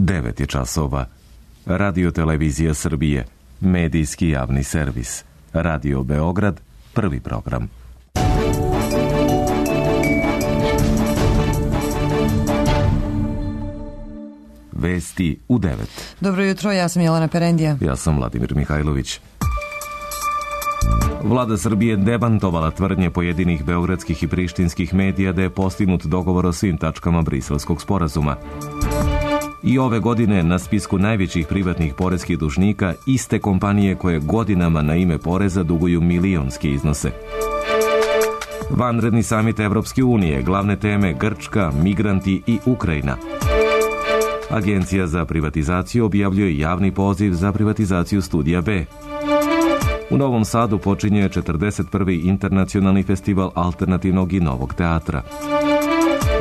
9 je časova. Radio Televizija Srbije, medijski javni servis. Radio Beograd, prvi program. Vesti u 9. Dobro jutro, ja sam Jelena Perendija. Ja sam Vladimir Mihajlović. Vlada Srbije demantovala tvrdnje pojedinih beogradskih i prištinskih medija da je postignut dogovor o svim tačkama Briselskog sporazuma. I ove godine na spisku najvećih privatnih poreskih dužnika iste kompanije koje godinama na ime poreza duguju milionske iznose. Vanredni samit Evropske unije, glavne teme Grčka, migranti i Ukrajina. Agencija za privatizaciju objavljuje javni poziv za privatizaciju Studija B. U Novom Sadu počinje 41. internacionalni festival alternativnog i novog teatra.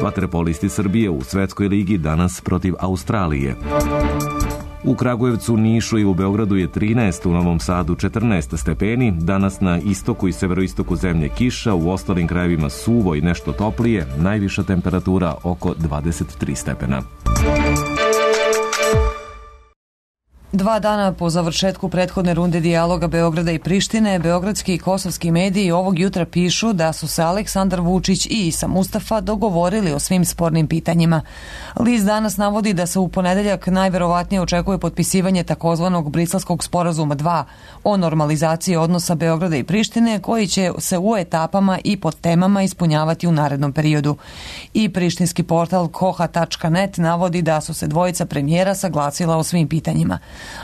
Vaterpolisti Srbije u Svetskoj ligi danas protiv Australije. U Kragujevcu, Nišu i u Beogradu je 13, u Novom Sadu 14 stepeni, danas na istoku i severoistoku zemlje kiša, u ostalim krajevima suvo i nešto toplije, najviša temperatura oko 23 stepena. 2 dana po završetku prethodne runde dijaloga Beograda i Prištine, beogradski i kosovski mediji ovog jutra pišu da su se Aleksandar Vučić i Isa Mustafa dogovorili o svim spornim pitanjima. List danas navodi da se u ponedeljak najverovatnije očekuje potpisivanje takozvanog Briselskog sporazuma 2 o normalizaciji odnosa Beograda i Prištine, koji će se u etapama i pod temama ispunjavati u narednom periodu. I prištinski portal koha.net navodi da su se dvojica premijera saglasila o svim pitanjima.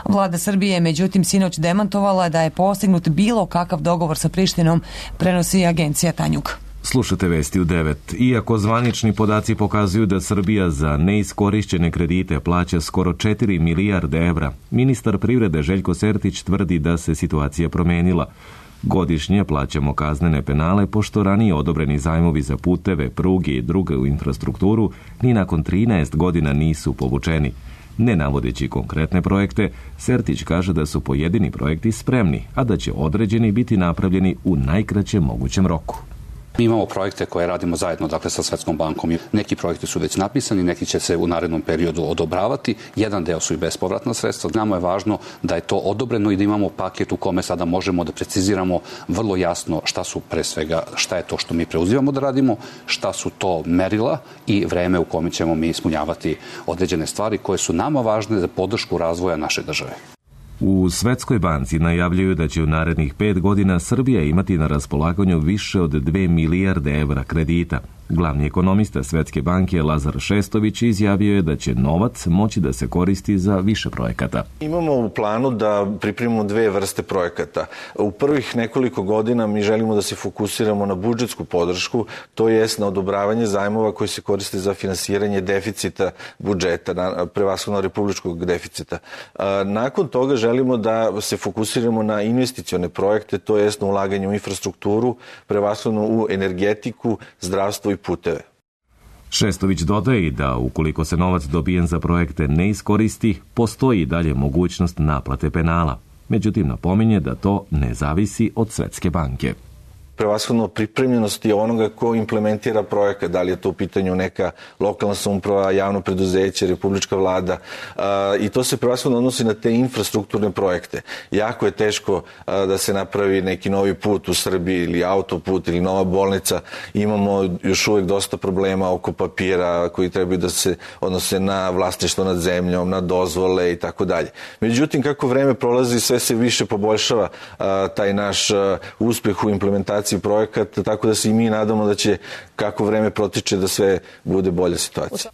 Vlada Srbije je međutim sinoć demantovala da je postignut bilo kakav dogovor sa Prištinom, prenosi agencija Tanjug. Slušate vesti u 9. Iako zvanični podaci pokazuju da Srbija za neiskorišćene kredite plaća skoro 4 milijarde evra, ministar privrede Željko Sertić tvrdi da se situacija promenila. Godišnje plaćamo kaznene penale pošto ranije odobreni zajmovi za puteve, pruge i drugu infrastrukturu ni nakon 13 godina nisu povučeni. Ne navodeći konkretne projekte, Sertić kaže da su pojedini projekti spremni, a da će određeni biti napravljeni u najkraćem mogućem roku. Mi imamo projekte koje radimo zajedno, dakle, sa Svetskom bankom. Neki projekti su već napisani, neki će se u narednom periodu odobravati. Jedan deo su i bespovratna sredstva. Nama je važno da je to odobreno i da imamo paket u kome sada možemo da preciziramo vrlo jasno šta su pre svega, šta je to što mi preuzimamo da radimo, šta su to merila i vreme u kome ćemo mi ispunjavati određene stvari koje su nama važne za podršku razvoja naše države. U Svetskoj banci najavljuju da će u narednih 5 godina Srbija imati na raspolaganju više od 2 milijarde evra kredita. Glavni ekonomista Svetske banke Lazar Šestović izjavio je da će novac moći da se koristi za više projekata. Imamo u planu da pripremimo 2 vrste projekata. U prvih nekoliko godina mi želimo da se fokusiramo na budžetsku podršku, to jest na odobravanje zajmova koji se koriste za finansiranje deficita budžeta, prevashodno republičkog deficita. Nakon toga želimo da se fokusiramo na investicione projekte, to jest na ulaganje u infrastrukturu, prevashodno u energetiku, zdravstvo i puteve. Šestović dodaje da ukoliko se novac dobijen za projekte ne iskoristi, postoji i dalje mogućnost naplate penala. Međutim, napominje da to ne zavisi od Svetske banke. Prevashodno pripremljenosti onoga ko implementira projekat, da li je to u pitanju neka lokalna samouprava, javno preduzeće, republička vlada, i to se prevashodno odnosi na te infrastrukturne projekte. Jako je teško da se napravi neki novi put u Srbiji ili autoput ili nova bolnica. Imamo još uvek dosta problema oko papira koji trebaju da se odnose na vlasništvo nad zemljom, na dozvole i tako dalje. Međutim, kako vreme prolazi, sve se više poboljšava taj naš uspeh u implementaciji projekata, tako da se i mi nadamo da će, kako vreme protiče, da sve bude bolja situacija.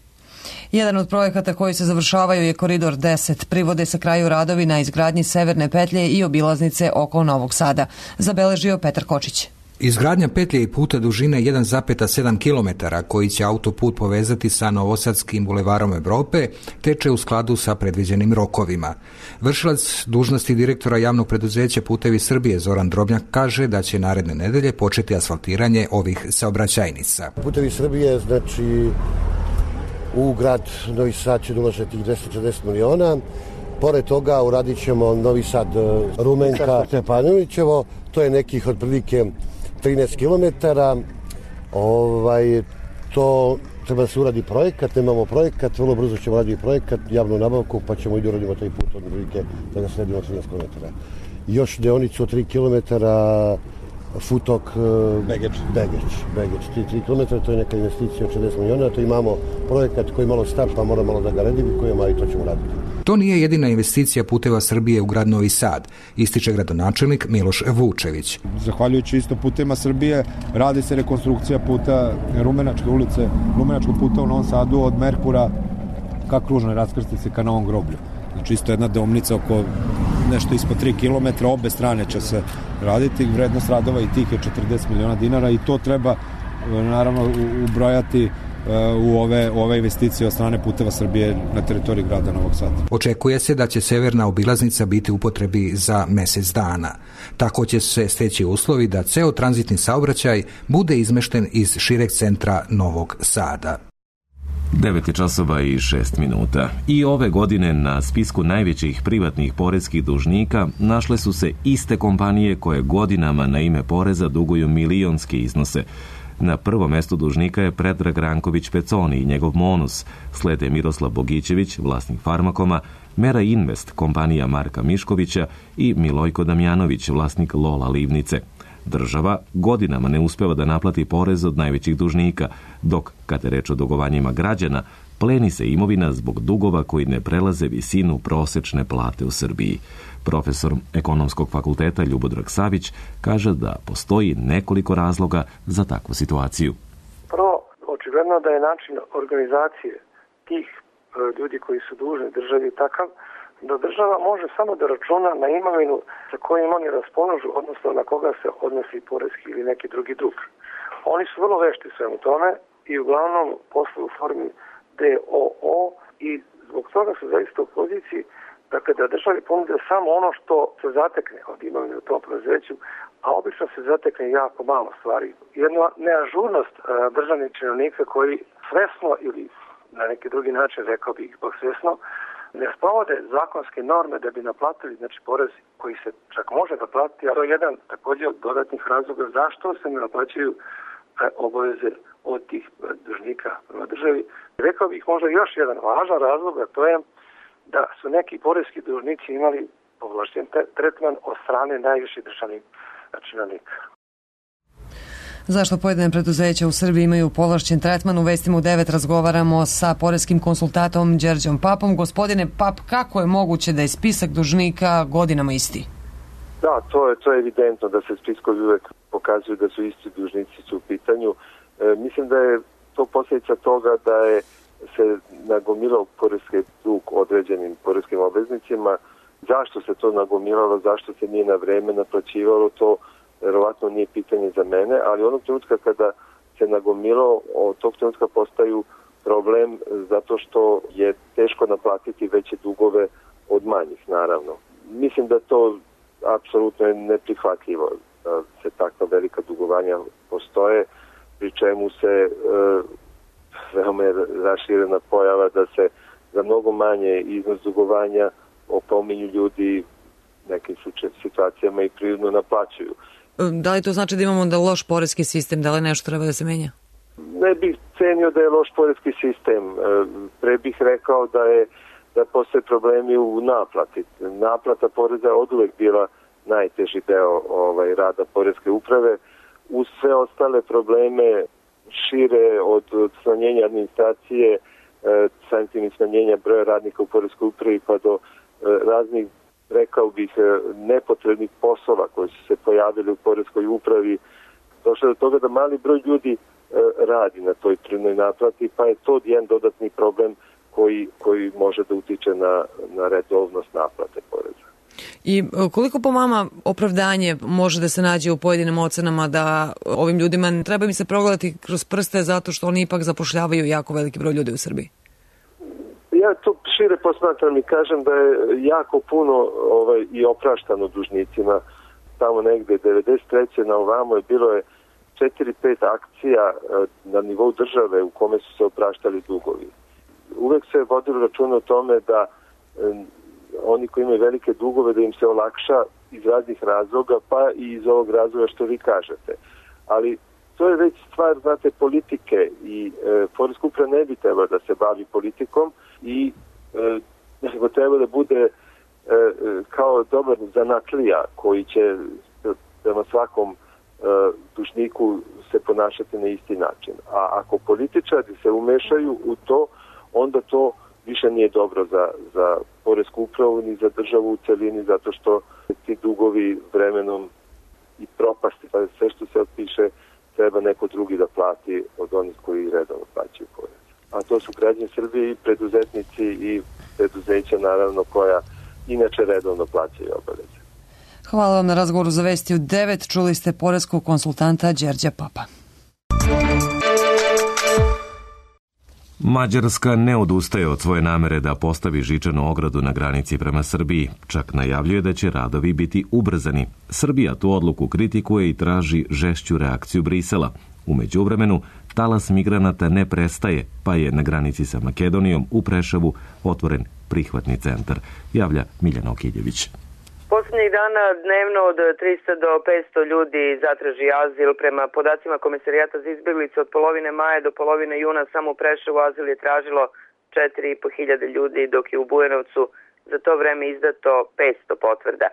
Jedan od projekata koji se završavaju je Koridor 10. Privode se kraju radovi na izgradnji severne petlje i obilaznice oko Novog Sada. Zabeležio Petar Kočić. Izgradnja petlje i puta dužine 1,7 km koji će autoput povezati sa Novosadskim bulevarom Evrope teče u skladu sa predviđenim rokovima. Vršilac dužnosti direktora javnog preduzeća Putevi Srbije Zoran Drobnjak kaže da će naredne nedelje početi asfaltiranje ovih saobraćajnica. Putevi Srbije, znači, u grad Novi Sad će uložiti 240 miliona. Pored toga uradit ćemo Novi Sad Rumenka Stepanovićevo, to je nekih otprilike 13 km. To Treba da se uradi projekat, nemamo projekat, vrlo brzo ćemo raditi projekat, javnu nabavku, pa ćemo i da uradimo taj put od prilike da ga sredimo 13 km. Još deonicu od 3 km Futok Begeć, 3 km, to je neka investicija od 60 miliona, to imamo projekat koji malo star, pa mora malo da ga redifikujemo, i to ćemo raditi. To nije jedina investicija Puteva Srbije u grad Novi Sad, ističe gradonačelnik Miloš Vučević. Zahvaljujući isto Putevima Srbije radi se rekonstrukcija puta Rumenačke ulice, Rumenačkog puta u Novom Sadu od Merkura ka kružnoj raskrsnici ka Novom groblju. Znači isto jedna deonica oko nešto ispod 3 km, obe strane će se raditi, vrednost radova i tih je 40 miliona dinara i to treba naravno ubrojati u ove investicije od strane Puteva Srbije na teritoriji grada Novog Sada. Očekuje se da će severna obilaznica biti u upotrebi za mesec dana. Tako će se steći uslovi da ceo tranzitni saobraćaj bude izmešten iz šireg centra Novog Sada. 9 časova i 6 minuta. I ove godine na spisku najvećih privatnih poreskih dužnika našle su se iste kompanije koje godinama na ime poreza duguju milionske iznose. Na prvom mestu dužnika je Predrag Ranković Peconi i njegov Monus, slede Miroslav Bogićević, vlasnik Farmakoma, Mera Invest, kompanija Marka Miškovića i Milojko Damjanović, vlasnik Lola Livnice. Država godinama ne uspeva da naplati porez od najvećih dužnika, dok, kad je reč o dugovanjima građana, pleni se imovina zbog dugova koji ne prelaze visinu prosečne plate u Srbiji. Profesor Ekonomskog fakulteta Ljubodrag Savić kaže da postoji nekoliko razloga za takvu situaciju. Prvo, očigledno da je način organizacije tih ljudi koji su dužni državi takav da država može samo da računa na imovinu sa kojim oni raspolažu, odnosno na koga se odnosi porezki ili neki drugi dug. Oni su vrlo vešti svemu tome i uglavnom posluju u formi DOO i zbog toga su zaista u poziciji da državi ponude samo ono što se zatekne od imovine u tom preduzeću, a obično se zatekne jako malo stvari. Jedna neažurnost državnih činovnika koji svesno ili na neki drugi način, rekao bih ipak svesno, ne sprovode zakonske norme da bi naplatili porez koji se čak može naplatiti, a to je jedan također od dodatnih razloga zašto se ne naplaćuju obaveze od tih dužnika prema državi. Rekao bih možda još jedan važan razlog, a to je da su neki poreski dužnici imali povlašćen tretman od strane najviših državnih činovnika. Zašto pojedine preduzeća u Srbiji imaju povlašćen tretman? U Vestima u 9 razgovaramo sa poreskim konsultatom Đerđom Papom. Gospodine Pap, kako je moguće da je spisak dužnika godinama isti? Da, to je evidentno da se spiskovi uvek pokazuju da su isti dužnici u pitanju. Mislim da je to posljedica toga da je se nagomilao poreski dug određenim poreskim obveznicima. Zašto se to nagomilalo, zašto se nije na vreme naplaćivalo, to verovatno nije pitanje za mene, ali onog trenutka kada se nagomilao, od tog trenutka postaju problem zato što je teško naplatiti veće dugove od manjih, naravno. Mislim da to apsolutno je neprihvatljivo, da se takva velika dugovanja postoje, pri čemu se veoma je raširena pojava da se za mnogo manje iznos dugovanja opominju ljudi nekim situacijama i prirodno naplaćuju. Da li to znači da imamo da loš poreski sistem, da li nešto treba da se menja? Ne bih cenio da je loš poreski sistem. Pre bih rekao da postoje problemi u naplati. Naplata poreza je oduvek bila najteži deo rada poreske uprave. Uz sve ostale probleme šire od smanjenja administracije, samim tim i smanjenja broja radnika u poreskoj upravi pa do raznih, rekao bih, nepotrebnih poslova koji su se pojavili u poreskoj upravi, došlo do toga da mali broj ljudi radi na toj prinudnoj naplati, pa je to jedan dodatni problem koji može da utiče na redovnost naplate poreza. I koliko po vama opravdanje može da se nađe u pojedinim ocenama da ovim ljudima treba im se progledati kroz prste zato što oni ipak zapošljavaju jako veliki broj ljudi u Srbiji? Ja to šire posmatram i kažem da je jako puno i opraštano dužnicima. Tamo negde 93. na ovamo je bilo 4-5 akcija na nivou države u kome su se opraštali dugovi. Uvek se vodilo računa o tome da oni koji imaju velike dugove da im se olakša iz raznih razloga, pa i iz ovog razloga što vi kažete. Ali to je već stvar, znate, politike i poreska uprava ne bi trebala da se bavi politikom i nego treba da bude kao dobar zanatlija koji će prema svakom dužniku se ponašati na isti način. A ako političari se umešaju u to, onda to više nije dobro za poresku upravu ni za državu u celini, zato što ti dugovi vremenom i propasti, pa sve što se otpiše treba neko drugi da plati od onih koji redovno plaćaju porez. A to su građani Srbije i preduzetnici i preduzeća, naravno, koja inače redovno plaćaju obaveze. Hvala vam na razgovoru za Vesti u 9. Čuli ste poreskog konsultanta Đerđa Papa. Mađarska ne odustaje od svoje namere da postavi žičanu ogradu na granici prema Srbiji. Čak najavljuje da će radovi biti ubrzani. Srbija tu odluku kritikuje i traži žešću reakciju Brisela. U međuvremenu, talas migranata ne prestaje, pa je na granici sa Makedonijom u Preševu otvoren prihvatni centar, javlja Miljana Okiljević. Poslednjih dana dnevno od 300 do 500 ljudi zatraži azil. Prema podacima Komesarijata za izbjeglice od polovine maja do polovine juna samo u Preševu azil je tražilo 4.500 ljudi, dok je u Bujanovcu za to vreme izdato 500 potvrda.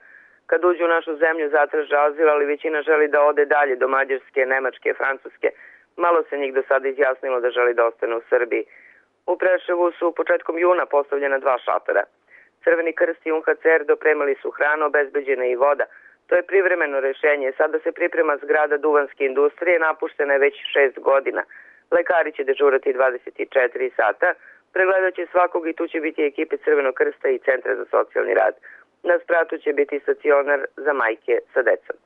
Kad uđu u našu zemlju zatraže azil, ali većina želi da ode dalje do Mađarske, Nemačke, Francuske. Malo se njih do sada izjasnilo da želi da ostane u Srbiji. U Preševu su početkom juna postavljena 2 šatora. Crveni krst i UNHCR dopremali su hranu, obezbeđena i voda. To je privremeno rešenje. Sada se priprema zgrada duvanske industrije, napuštena je već 6 godina. Lekari će dežurati 24 sata, pregledat će svakog i tu će biti ekipe Crvenog krsta i Centra za socijalni rad. Na spratu će biti stacionar za majke sa decom.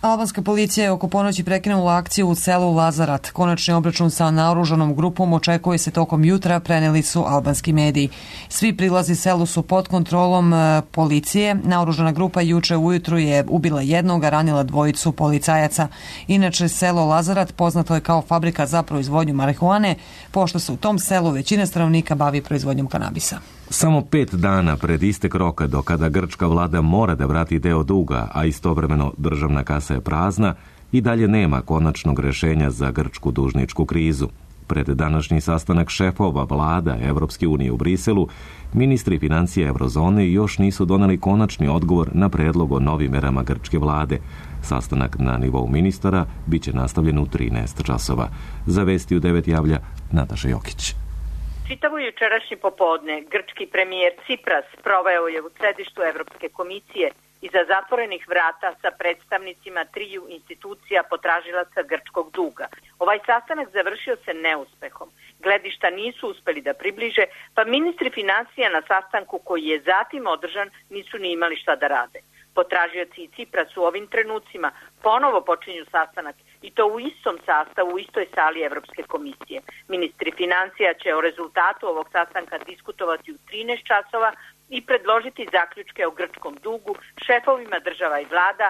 Albanska policija je oko ponoći prekinula akciju u selu Lazarat. Konačni obračun sa naoružanom grupom očekuje se tokom jutra, preneli su albanski mediji. Svi prilazi selu su pod kontrolom policije. Naoružana grupa juče ujutru je ubila jednog, a ranila 2 policajaca. Inače, selo Lazarat poznato je kao fabrika za proizvodnju marihuane, pošto se u tom selu većina stanovnika bavi proizvodnjom kanabisa. Samo 5 dana pred istek roka do kada grčka vlada mora da vrati deo duga, a istovremeno državna kasa je prazna, i dalje nema konačnog rešenja za grčku dužničku krizu. Pred današnji sastanak šefova vlada Evropske unije u Briselu, ministri financija Eurozone još nisu doneli konačni odgovor na predlog o novim merama grčke vlade. Sastanak na nivou ministara biće nastavljen u 13 časova. Za Vesti u 9 javlja Nataša Jokić. Čitavo jučerašnje popodne grčki premijer Cipras proveo je u sedištu Evropske komisije iza zatvorenih vrata sa predstavnicima 3 institucija potražilaca grčkog duga. Ovaj sastanak završio se neuspehom. Gledišta nisu uspeli da približe, pa ministri financija na sastanku koji je zatim održan nisu ni imali šta da rade. Potražioci i Cipras u ovim trenucima ponovo počinju sastanak i to u istom sastavu, u istoj sali Evropske komisije. Ministri financija će o rezultatu ovog sastanka diskutovati u 13 časova i predložiti zaključke o grčkom dugu šefovima država i vlada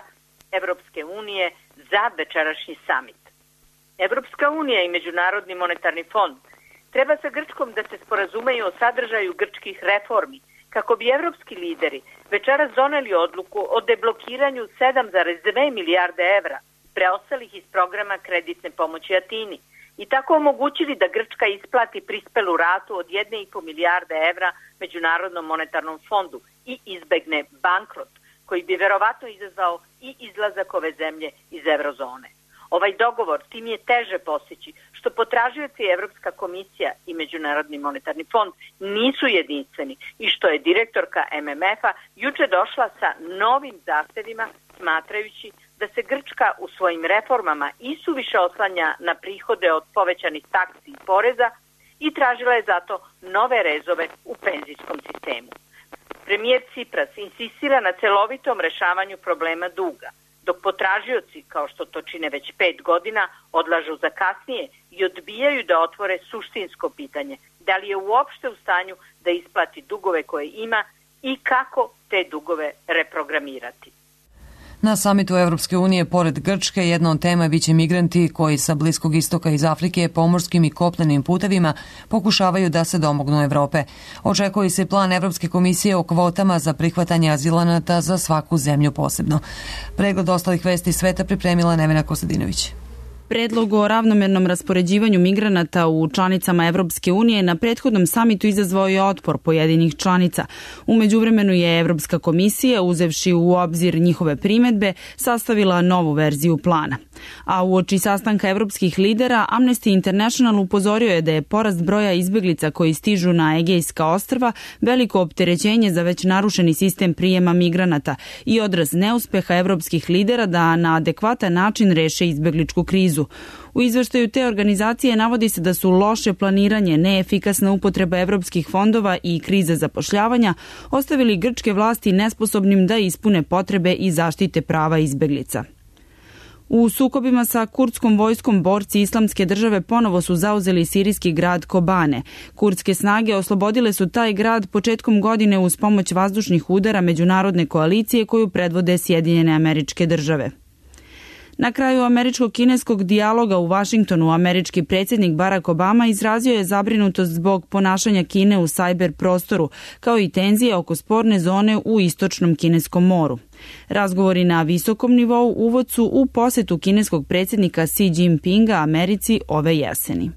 Evropske unije za večerašnji samit. Evropska unija i Međunarodni monetarni fond treba sa Grčkom da se sporazumeju o sadržaju grčkih reformi, kako bi evropski lideri večeras doneli odluku o deblokiranju 7,2 milijarde evra preostalih iz programa kreditne pomoći Atini i tako omogućili da Grčka isplati prispelu ratu od 1,5 milijarde evra Međunarodnom monetarnom fondu i izbegne bankrot, koji bi verovatno izazvao i izlazak ove zemlje iz eurozone. Ovaj dogovor tim je teže postići što potražioci Evropska komisija i Međunarodni monetarni fond nisu jedinstveni i što je direktorka MMF-a juče došla sa novim zahtevima smatrajući da se Grčka u svojim reformama isuviše oslanja na prihode od povećanih taksi i poreza i tražila je zato nove rezove u penzijskom sistemu. Premijer Cipras insistira na celovitom rešavanju problema duga, dok potražioci, kao što to čine već 5 godina, odlažu za kasnije i odbijaju da otvore suštinsko pitanje da li je uopšte u stanju da isplati dugove koje ima i kako te dugove reprogramirati. Na samitu Evropske unije, pored Grčke, jedna od tema biće migranti koji sa Bliskog istoka iz Afrike pomorskim i kopnenim putevima pokušavaju da se domognu Evrope. Očekuje se plan Evropske komisije o kvotama za prihvatanje azilanata za svaku zemlju posebno. Pregled ostalih vesti sveta pripremila Nevena Kostadinović. Predlog o ravnomernom raspoređivanju migranata u članicama Evropske unije na prethodnom samitu izazvao je otpor pojedinih članica. U međuvremenu je Evropska komisija, uzevši u obzir njihove primedbe, sastavila novu verziju plana. A uoči sastanka evropskih lidera, Amnesty International upozorio je da je porast broja izbeglica koji stižu na Egejska ostrva veliko opterećenje za već narušeni sistem prijema migranata i odraz neuspeha evropskih lidera da na adekvatan način reše izbegličku krizu. U izveštaju te organizacije navodi se da su loše planiranje, neefikasna upotreba evropskih fondova i kriza zapošljavanja ostavili grčke vlasti nesposobnim da ispune potrebe i zaštite prava izbeglica. U sukobima sa kurdskom vojskom borci Islamske države ponovo su zauzeli sirijski grad Kobane. Kurdske snage oslobodile su taj grad početkom godine uz pomoć vazdušnih udara međunarodne koalicije koju predvode Sjedinjene Američke Države. Na kraju američko-kineskog dijaloga u Vašingtonu američki predsjednik Barack Obama izrazio je zabrinutost zbog ponašanja Kine u sajber prostoru, kao i tenzije oko sporne zone u istočnom Kineskom moru. Razgovori na visokom nivou uvod su u posetu kineskog predsjednika Xi Jinpinga Americi ove jeseni.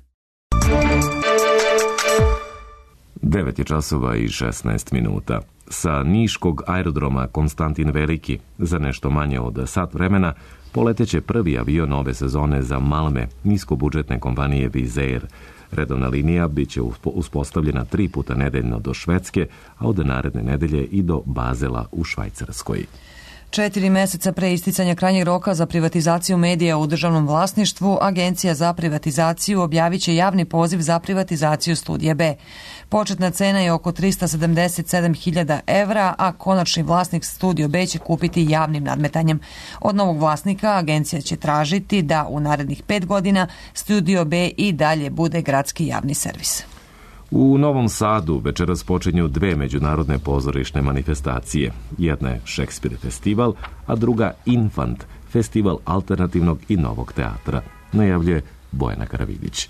9:16. Sa niškog aerodroma Konstantin Veliki za nešto manje od sat vremena poleteće prvi avion ove sezone za Malme, niskobudžetne kompanije Wizz Air. Redovna linija biće uspostavljena 3 puta nedeljno do Švedske, a od naredne nedelje i do Bazela u Švajcarskoj. 4 meseca pre isticanja krajnjeg roka za privatizaciju medija u državnom vlasništvu, Agencija za privatizaciju objavit će javni poziv za privatizaciju Studija B. Početna cena je oko 377.000 evra, a konačni vlasnik Studio B će kupiti javnim nadmetanjem. Od novog vlasnika agencija će tražiti da u narednih 5 godina Studio B i dalje bude gradski javni servis. U Novom Sadu večeras počinju 2 međunarodne pozorišne manifestacije. Jedna je Šekspir festival, a druga Infant, festival alternativnog i novog teatra, najavljuje Bojana Karavidić.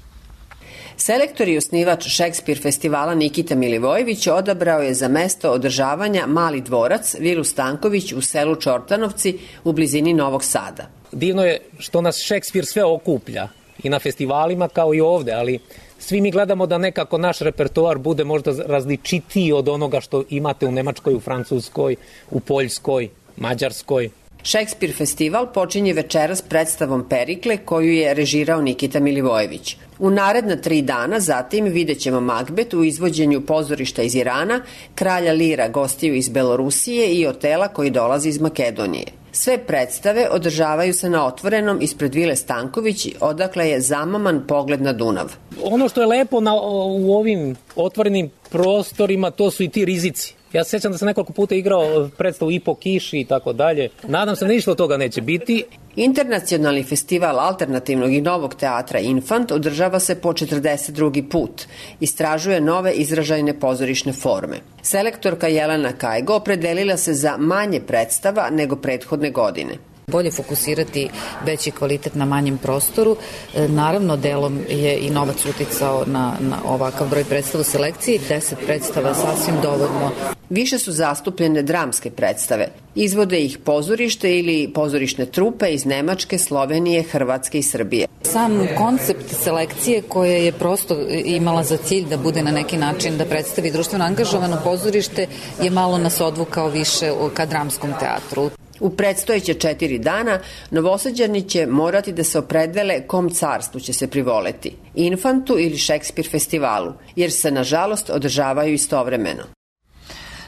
Selektor i osnivač Šekspir festivala Nikita Milivojević odabrao je za mesto održavanja Mali dvorac Vilu Stanković u selu Čortanovci u blizini Novog Sada. Divno je što nas Šekspir sve okuplja i na festivalima kao i ovde, ali svi mi gledamo da nekako naš repertoar bude možda različitiji od onoga što imate u Nemačkoj, u Francuskoj, u Poljskoj, Mađarskoj. Šekspir festival počinje večeras predstavom Perikle koju je režirao Nikita Milivojević. U naredna 3 dana zatim vidjet ćemo Magbet u izvođenju pozorišta iz Irana, Kralja Lira gostiju iz Belorusije i Otela koji dolazi iz Makedonije. Sve predstave održavaju se na otvorenom ispred Vile Stanković, odakle je zamaman pogled na Dunav. Ono što je lepo u ovim otvorenim prostorima, to su i ti rizici. Ja se sjećam da sam nekoliko puta igrao predstavu i po kiši i tako dalje. Nadam se da ništa od toga neće biti. Internacionalni festival alternativnog i novog teatra Infant održava se po 42. put. Istražuje nove izražajne pozorišne forme. Selektorka Jelena Kajgo opredelila se za manje predstava nego prethodne godine. Bolje fokusirati veći kvalitet na manjem prostoru. Naravno, delom je i novac uticao na ovakav broj predstava u selekciji. 10 predstava je sasvim dovoljno. Više su zastupljene dramske predstave. Izvode ih pozorište ili pozorišne trupe iz Nemačke, Slovenije, Hrvatske i Srbije. Sam koncept selekcije koja je prosto imala za cilj da bude na neki način da predstavi društveno angažovano pozorište je malo nas odvukao više ka dramskom teatru. U predstojeće 4 dana Novosađani će morati da se opredele kom carstvu će se privoleti, Infantu ili Šekspir festivalu, jer se nažalost održavaju istovremeno.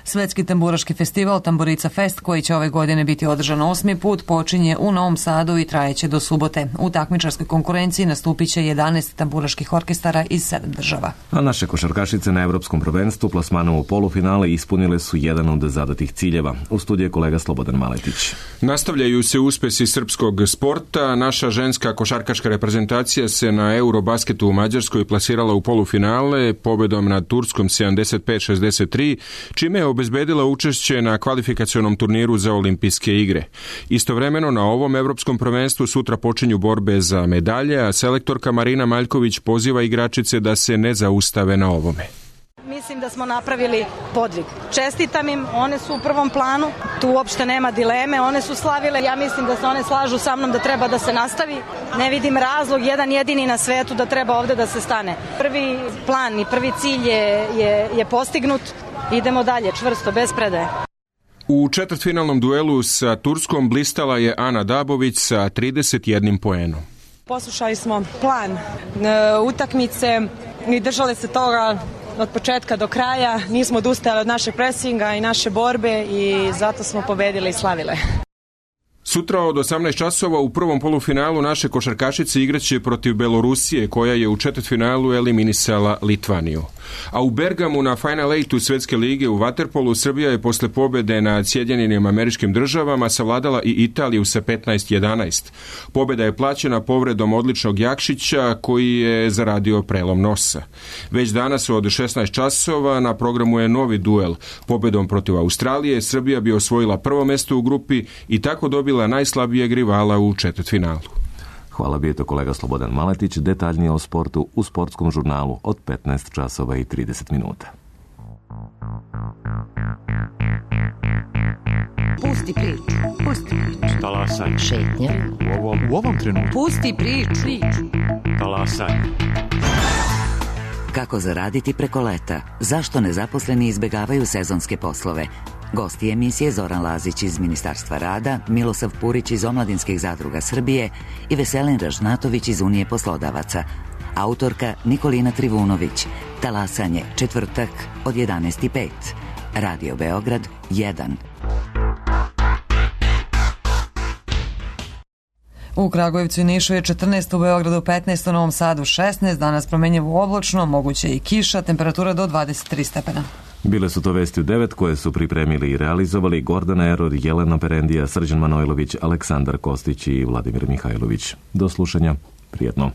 Svetski tamburaški festival Tamburica Fest, koji će ove godine biti održan 8. put, počinje u Novom Sadu i trajeće do subote. U takmičarskoj konkurenciji nastupit će 11 tamburaških orkestara iz 7 država. A naše košarkašice na Evropskom prvenstvu plasmanom u polufinale ispunile su jedan od zadatih ciljeva. U studiju je kolega Slobodan Maletić. Nastavljaju se uspesi srpskog sporta. Naša ženska košarkaška reprezentacija se na Eurobasketu u Mađarskoj plasirala u polufinale pobedom nad Turskom 75-63, čime je obezbedila učešće na kvalifikacionom turniru za olimpijske igre. Istovremeno na ovom evropskom prvenstvu sutra počinju borbe za medalje, a selektorka Marina Maljković poziva igračice da se ne zaustave na ovome. Mislim da smo napravili podvig. Čestitam im, one su u prvom planu. tu uopšte nema dileme, one su slavile, ja mislim da se one slažu sa mnom da treba da se nastavi. Ne vidim razlog, jedan jedini na svetu da treba ovde da se stane. Prvi plan i prvi cilj je postignut, idemo dalje, čvrsto, bez predaje. U četvrtfinalnom duelu sa Turskom blistala je Ana Dabović sa 31 poenom. Poslušali smo plan utakmice i držali se toga od početka do kraja. Nismo odustajali od našeg presinga i naše borbe i zato smo pobedile i slavile. Sutra od 18 časova u prvom polufinalu naše košarkašice igraće protiv Belorusije, koja je u četvrtfinalu eliminisala Litvaniju. A u Bergamu na Final 8 Svetske lige u vaterpolu Srbija je posle pobede nad Sjedinjenim Američkim Državama savladala i Italiju sa 15-11. Pobeda je plaćena povredom odličnog Jakšića, koji je zaradio prelom nosa. Već danas od 16 časova na programu je novi duel. Pobedom protiv Australije Srbija bi osvojila prvo mesto u grupi i tako dobila najslabijeg rivala u četvrtfinalu. Hvala, bio je to kolega Slobodan Maletić. Detaljnije o sportu u sportskom žurnalu od 15 časova i 30 minuta. Pusti priču. Pusti priču. Talasaj. Šetnja. U ovom trenutku. Pusti priču. Talasaj. Kako zaraditi preko leta? Zašto nezaposleni izbegavaju sezonske poslove? Gosti emisije Zoran Lazić iz Ministarstva rada, Milosav Purić iz Omladinskih zadruga Srbije i Veselin Ražnatović iz Unije poslodavaca. Autorka Nikolina Trivunović. Talasanje, četvrtak od 11:05. Radio Beograd 1. U Kragujevcu i Nišu je 14, u Beogradu 15, u Novom Sadu 16, danas promenjivo oblačno, moguće i kiša, temperatura do 23 stepena. Bile su to vesti u 9 koje su pripremili i realizovali Gordana Eror, Jelena Perendija, Srđan Manojlović, Aleksandar Kostić i Vladimir Mihajlović. Do slušanja, prijetno.